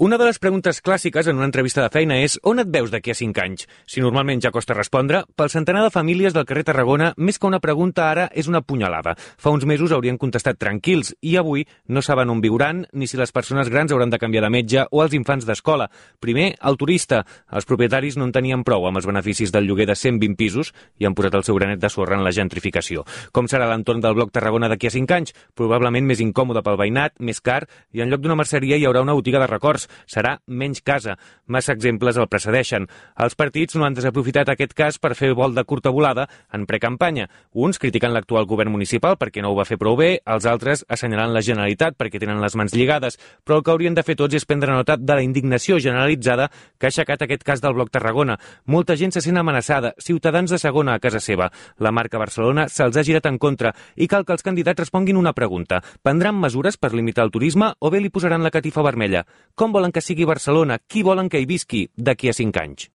Una de les preguntes clàssiques en una entrevista de feina és on et veus d'aquí a 5 anys? Si normalment ja costa respondre, pel centenar de famílies del carrer Tarragona, més que una pregunta ara és una punyalada. Fa uns mesos haurien contestat tranquils i avui no saben on viuran ni si les persones grans hauran de canviar de metge o els infants d'escola. Primer, el turista. Els propietaris no en tenien prou amb els beneficis del lloguer de 120 pisos i han posat el seu granet de sorra en la gentrificació. Com serà l'entorn del bloc Tarragona d'aquí a 5 anys? Probablement més incòmode pel veïnat, més car, i en lloc d'una merceria hi haurà una botiga de records. Serà menys casa. Massa exemples el precedeixen. Els partits no han desaprofitat aquest cas per fer vol de curta volada en precampanya. Uns critiquen l'actual govern municipal perquè no ho va fer prou bé, els altres assenyalant la Generalitat perquè tenen les mans lligades. Però el que haurien de fer tots és prendre nota de la indignació generalitzada que ha aixecat aquest cas del bloc Tarragona. Molta gent se sent amenaçada, ciutadans de segona a casa seva. La marca Barcelona se'ls ha girat en contra i cal que els candidats responguin una pregunta. Prendran mesures per limitar el turisme o bé li posaran la catifa vermella? Com volen que sigui Barcelona? Qui volen que hi visqui d'aquí a 5 anys?